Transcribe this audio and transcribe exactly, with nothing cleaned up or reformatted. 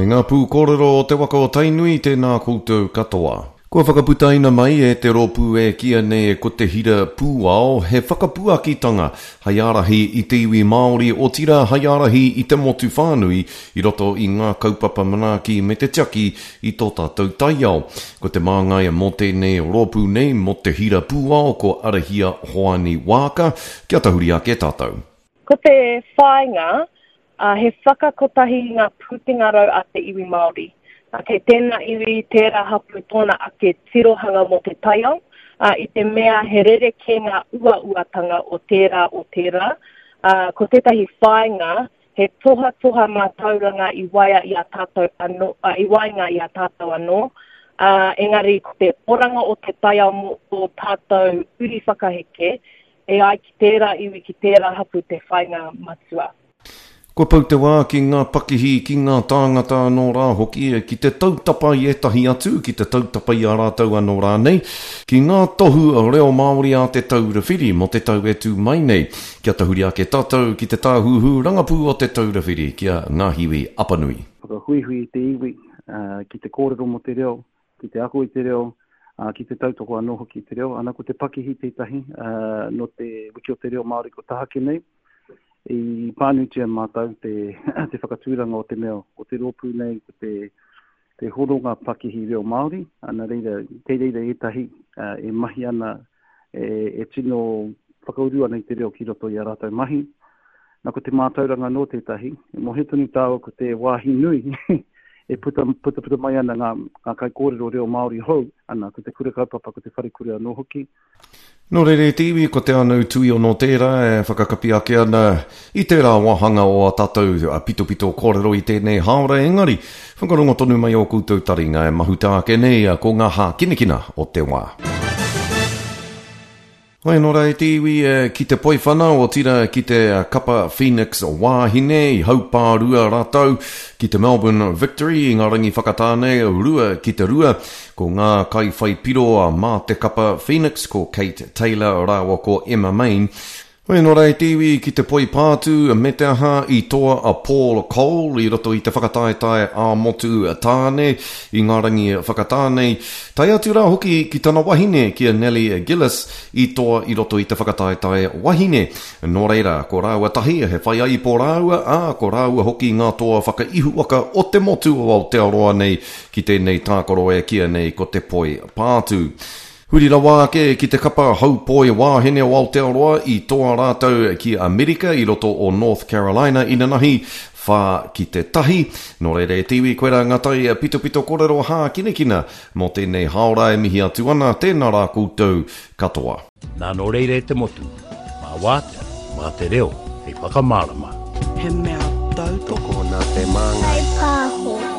E ngā pūkōrero o te waka o Tainui, tēnā koutou katoa. Kua whakaputaina mai e te rōpū e kīia nei ko Te Hira Pūao he whakapuakitanga hei ārahi i te iwi Māori, otirā hei ārahi i te motu whānui i roto i ngā kaupapa manaaki me te tiaki i tō tātou taiao. Ko te māngai mō tēnei rōpū nei mō Te Hira Pūao ko Arahia Hoani Waaka. Kia tahuri ake tātou. Ko te whāinga, uh, he whakakotahi i ngā pūkenga rau a te iwi Māori. Uh, kei tēnā iwi, tērā hapū tōna ake tirohanga mō te taiao, uh, i te mea he rerekē ngā uauatanga o tērā o tērā. Uh, ko tētahi whāinga, he tohatoha mātauranga i waia i a tātou anō, uh, i waenga i a tātou anō, uh, engari ko te oranga o te taiao mō tō tātou uri whakaheke, e ai ki tērā iwi, ki tērā hapū te whāinga matua. Kua pau te wā ki ngā pakihi, ki ngā tāngata anō rā hoki, ki te tautapa i ētahi atu, ki te tautapa i a rātou anō rānei, ki ngā tohu reo Māori a Te Taura Whiri mō te tau e tū mai nei. Kia tahuri ake tātou ki te tāhuhu rangapū o Te Taura Whiri, ki a Ngāhiwi Apanui. Whakahuihui i te iwi, uh, ki te kōrero mō te reo, ki te ako i te reo, uh, ki te tautoko anō hoki i te reo. Ana ko te pakihi tētahi, uh, nō te wiki o te reo Māori ko tahake nei, i pānuitia mātou te, te whakatūranga o te mea o te rōpū nei, ko te, te horonga pakihi reo Māori, ana reira, kei reira ētahi uh, e mahi ana, e, e tino whakauru ana i te reo ki roto i a rātou mahi. Nā ko te mātauranga nō tētahi, e mōhio tonu tāua ko te wāhi nui e puta, puta, puta mai ana ngā, ngā kaikōrero reo Māori hou, ana ko te kura kaupapa, ko te wharekura anō hoki. Nō reira e te iwi, ko te Anau Tuiono tērā e whakakapi ake ana i tērā wāhanga o a tātou pitopito kōrero i tēnei hāora, engari whakarongo tonu mai o koutou taringa e mahuta ake nei ko ngā hākinakina o te wā. Hoi nō rā e te iwi ki te poiwhana otirā ki te kapa Phoenix wāhine i haupārua rātou ki te Melbourne Victory i ngā rangi whakatāne rua ki te rua. Ko ngā kaiwhaipiro mā te kapa Phoenix ko Kate Taylor rāua ko Emma Main. Hoi nō rā e te iwi ki te poipātū me te aha i toa a Paul Cole i roto i te whakataetae ā-motu tāne i ngā rangi whakatāne. Tae atu rā hoki ki tana wahine ki a Nellie Gillis i toa i roto i te whakataetae wahine. Nō reira, ko rāua tahi, he whaiaipo rāua, ā, ko rāua hoki ngā toa whakaihuwaka o te motu o Aotearoa nei ki tēnei tākaro e kīia nei ko te poi pātū. Huri rawa ake ki te kapa haupoi wāhine o Aotearoa i toa rātou ki Amerika i roto o North Carolina inanahi whā ki te tahi. Nō reira e te iwi, koirā ngā tai pitopito kōrero hākinakina mō tēnei hāora e mihi atu ana, tēnā rā koutou katoa. Nā nō reira e te motu, mā wātea, mā te reo, hei whakamārama. He mea tautoko nā te māngai. Pāho.